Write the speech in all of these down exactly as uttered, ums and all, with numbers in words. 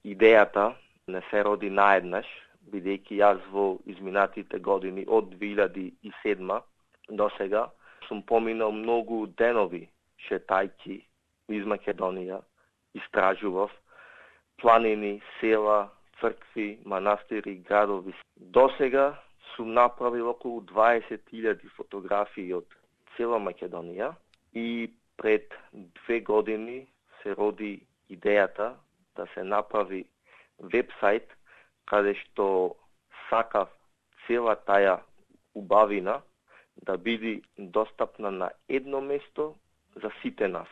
идејата не се роди наеднаш, бидејќи јас во изминатите години од две илјади и седма до сега сум поминал многу денови шетајки из Македонија, истражував планини, села, цркви, манастири, градови. До сега сум направил околу дваесет илјади фотографии од цела Македонија и пред две години се роди идејата да се направи вебсайт каде што сакав цела таја убавина да биде достапна на едно место за сите нас.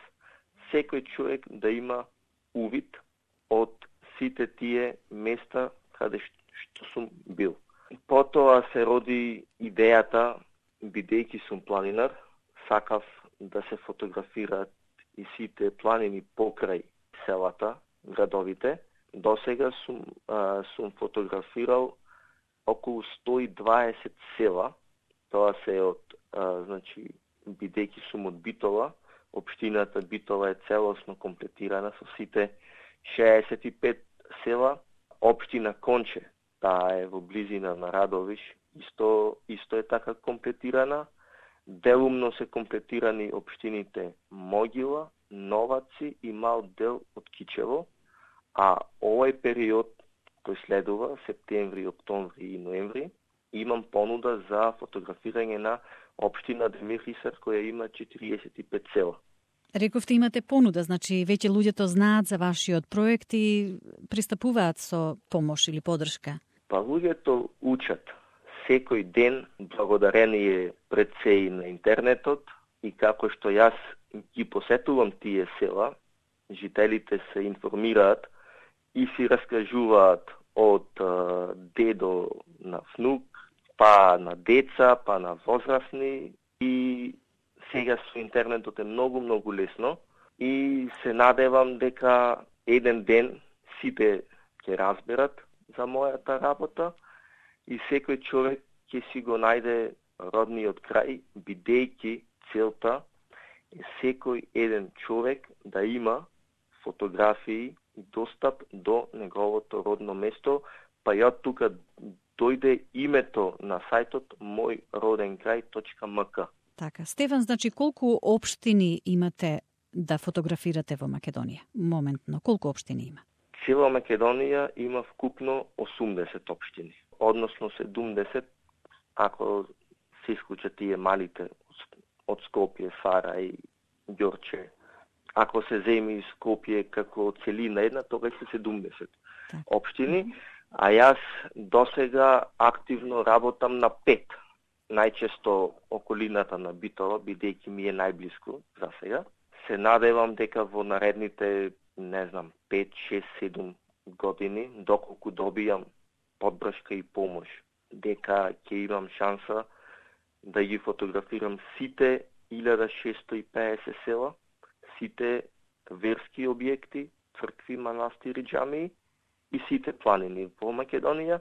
Секој човек да има увид од сите тие места каде што сум бил. Потоа се роди идејата, бидејќи сум планинар, сакав да се фотографираат и сите планини покрај селата, градовите. До сега сум, а, сум фотографирал околу сто и дваесет села. Тоа се од, а, значи, бидејќи сум од Битола, општината Битола е целосно комплетирана со сите шеесет и пет села. Општина Конче, таа е во близина на Радовиш, исто, исто е така комплетирана. Делумно се комплетирани општините Могила, Новаци и мал дел од Кичево, а овој период кој следува, септември, октомври и ноември, имам понуда за фотографирање на општина Демирхисар која има четириесет и пет села. Рековте имате понуда, значи веќе луѓето знаат за вашиот проект и пристапуваат со помош или подршка. Па луѓето учат секој ден благодарение пред се и на интернетот и како што јас ги посетувам тие села, жителите се информираат и си раскажуваат од а, дедо на внук, па на деца, па на возрастни и сега со интернетот е многу, многу лесно и се надевам дека еден ден сите ќе разберат за мојата работа и секој човек ќе си го најде родниот крај, бидејќи целта е секој еден човек да има фотографии и достап до неговото родно место, па ја тука дојде името на сајтот мој роден крај точка ем ка. Така, Стефан, значи колку општини имате да фотографирате во Македонија? Моментно, колку општини има? Цела Македонија има вкупно осумдесет општини, односно седумдесет, ако се исклучат тие малите од Скопје, Фара и Ѓорче. Ако се земи Скопје како целина една, тогаш се седумдесет так. општини, а јас досега активно работам на пет. Најчесто околината на Битола, бидејќи ми е најблиску за сега. Се надевам дека во наредните, не знам, пет, шест, седум години, доколку добијам поддршка и помош, дека ќе имам шанса да ги фотографирам сите илјада шестоста и педесет села, сите верски објекти, цркви, манастири, џамии и сите планини во Македонија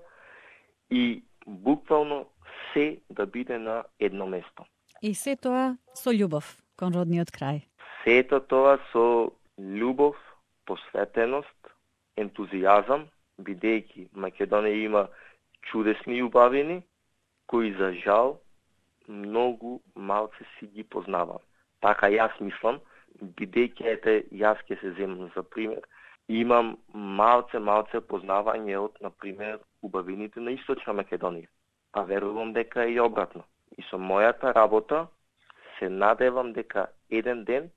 и буквално се да биде на едно место. И се тоа со љубов кон родниот крај. Сето тоа со љубов, посветеност, ентузијазам, бидејќи Македонија има чудесни убавини, кои за жал многу малце си ги познавам. Така јас мислам, бидејќи ете јас ќе се земам за пример, имам малце малце познавање од, на пример, убавините на Источна Македонија. А верувам дека е и обратно. И со мојата работа се надевам дека еден ден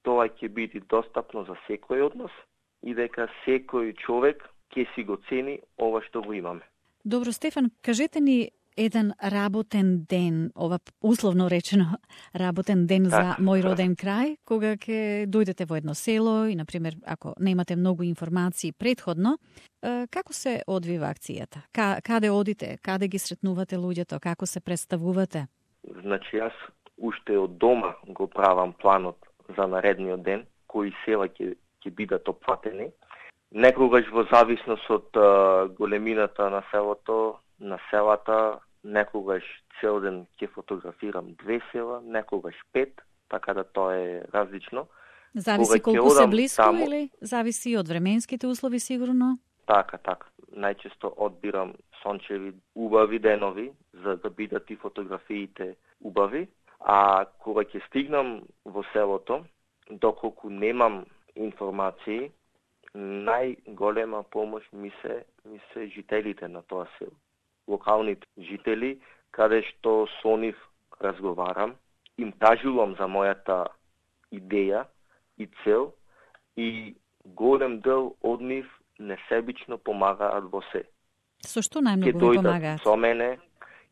тоа ќе биде достапно за секој од нас и дека секој човек ќе си го цени ова што го имаме. Добро, Стефан, кажете ни еден работен ден, ова условно речено работен ден так, за мој роден крај, кога ќе дојдете во едно село и, например, ако немате многу информации предходно, како се одвива акцијата? Каде одите? Каде ги сретнувате луѓето? Како се представувате? Значи, јас уште од дома го правам планот за наредниот ден, кои села ќе ќе бидат опфатени. Некогаш во зависност од а, големината на селото, на селата, некогаш цел ден ќе фотографирам две села, некогаш пет, така да тоа е различно. Зависи колку се близко таму, или зависи од временските услови сигурно? Така, така. Најчесто одбирам сончеви, убави денови, за да бидат и фотографиите убави. А кога ќе стигнам во селото, доколку немам информации, најголема помош ми се, ми се жителите на тоа село. Локалните жители, каде што со нив разговарам, им кажувам за мојата идеја и цел и голем дел од нив несебично помагаат во се. Со што најмногу ви помагаат? Со мене,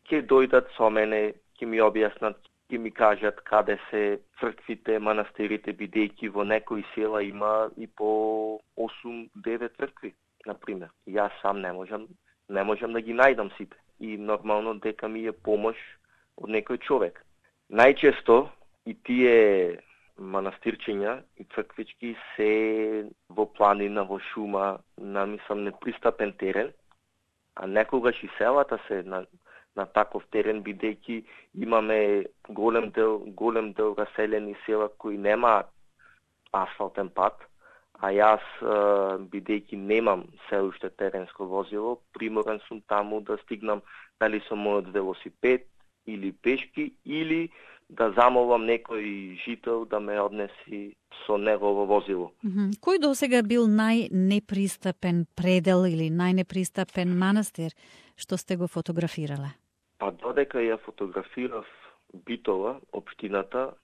ќе дојдат со мене, ќе ми објаснат, ќе ми кажат каде се црквите, манастирите, бидејќи во некои села има и по осум-девет цркви, например. Јас сам не можам, не можам да ги најдам сите. И нормално дека ми е помош од некој човек. Најчесто и тие манастирчиња и црквички се во планина, во шума, на мислам непристапен терен, а некогаш и селата се на, на таков терен, бидејќи имаме голем дел, голем дел раселени села кои немаат асфалтен пат, а јас, бидејќи немам се уште теренско возило, приморен сум таму да стигнам дали со мојот велосипед или пешки, или да замолам некој жител да ме однеси со негово возило. Mm-hmm. Кој досега бил најнепристапен предел или најнепристапен манастир што сте го фотографирале? Па додека ја фотографирав Битола, општината,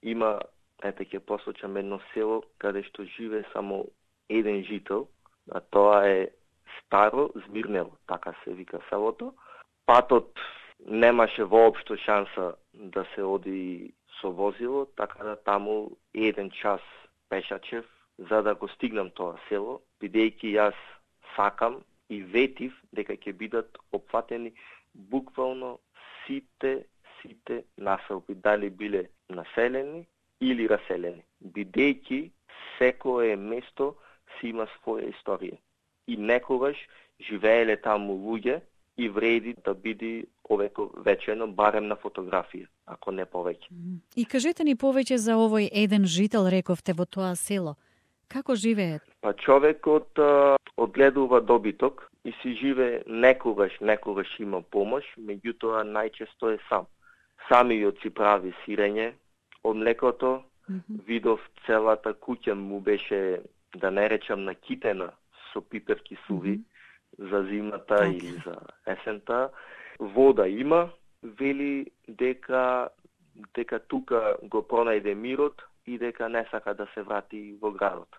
има, ете ќе посочам едно село каде што живе само еден жител, а тоа е Старо Змирнело, така се вика селото. Патот немаше воопшто шанса да се оди со возило, така да таму еден час пешачев за да го стигнам тоа село, бидејќи јас сакам и ветив дека ќе бидат опфатени буквално сите сите населби, дали биле населени или раселени, бидејќи секое место си има своја историја. И некогаш живееле таму луѓе и вреди да биде овековечено барем на фотографија, ако не повеќе. И кажете ни повеќе за овој еден жител, рековте, во тоа село. Како живее? Па човекот а, одгледува добиток и си живее некогаш, некогаш има помош, меѓутоа најчесто е сам. Самиот си прави сирење од млекото, mm-hmm. видов целата куќа му беше, да не речам, накитена со пиперки суви, mm-hmm. за зимата okay. или за есента. Вода има, вели дека дека тука го пронајде мирот и дека не сака да се врати во градот.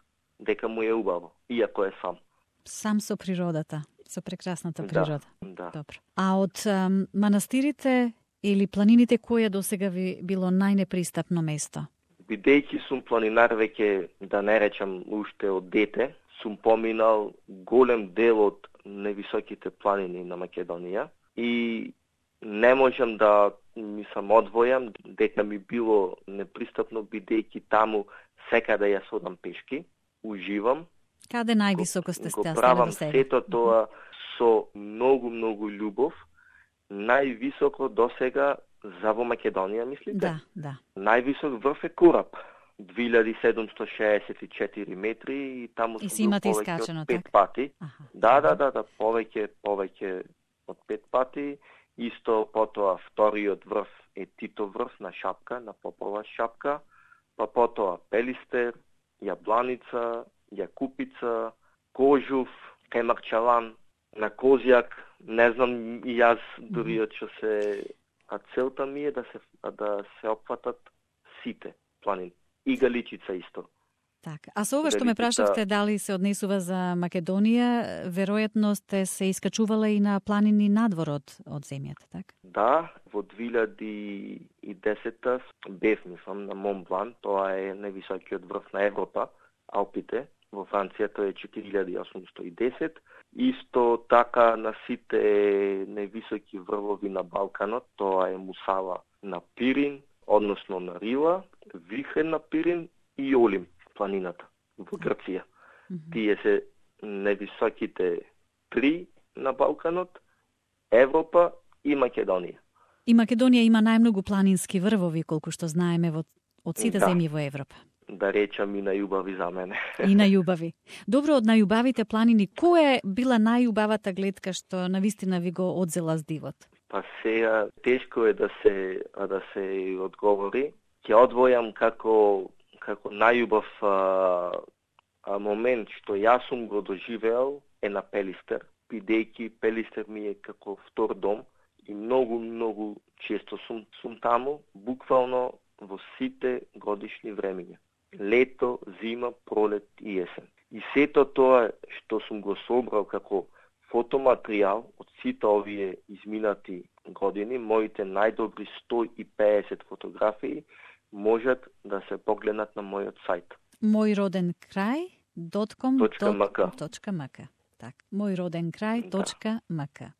Дека му е убаво, иако е сам. Сам со природата, со прекрасната природа. Да, да. Добро. А од ам, манастирите или планините, која досега ви било најнепристапно место? Бидејќи сум планинар веќе, да не речам уште од дете, сум поминал голем дел од невисоките планини на Македонија и не можам да ми сам одвојам дека ми било непристапно, бидејќи таму секаде ја содам пешки, уживам. Каде највисоко сте стеле го правам сето тоа со многу, многу љубов. Највисоко досега за во Македонија, мислите? Да, да. Највисок врв е Кораб, две илјади седумстотини шеесет и четири метри и таму и сум бил повеќе искачено, од пет так? пати. Аха. Да, да, да, да, повеќе, повеќе од пет пати. Исто потоа вториот врв е Тито врв на Шапка, на Попова Шапка, па потоа Пелистер, Јабланица, Јакупица, Кожув, Кемарчалан, на Козјак, не знам и јас дури од што се, а целта ми е да се да се опфатат сите планини. И Галичица исто. Так, а со ова што ме прашавте дали се однесува за Македонија, веројатно сте се искачувала и на планини надвор од, од земјата, так? Да, во две илјади и десета бев, мислам, на Монблан, тоа е највисокиот врв на Европа, Алпите, во Франција тоа е четири илјади осумстотини и десет. Исто така на сите највисоки врвови на Балканот, тоа е Мусала на Пирин, односно на Рила, Вихрен на Пирин и Олим, планината во Грција. Mm-hmm. Тие се највисоките три на Балканот, Европа и Македонија. И Македонија има најмногу планински врвови, колку што знаеме, во, од сите да. земји во Европа. да речам и најубави за мене. И најубави. Добро, од најубавите планини, која е била најубавата гледка што навистина ви го одзела с дивот? Па сега тешко е да се да се одговори. Ќе одвојам како како најубав а, а, момент што јас сум го доживеал е на Пелистер, бидејќи Пелистер ми е како втор дом и многу многу често сум сум таму, буквално во сите годишни времиња. Лето, зима, пролет и есен. И сето тоа што сум го собрал како фотоматеријал од сите овие изминати години, моите најдобри сто и педесет фотографии можат да се погледнат на мојот сајт. Мојроденкрај точка ком точка ем ка. точка ем ка. Так, мојроденкрај точка ем ка.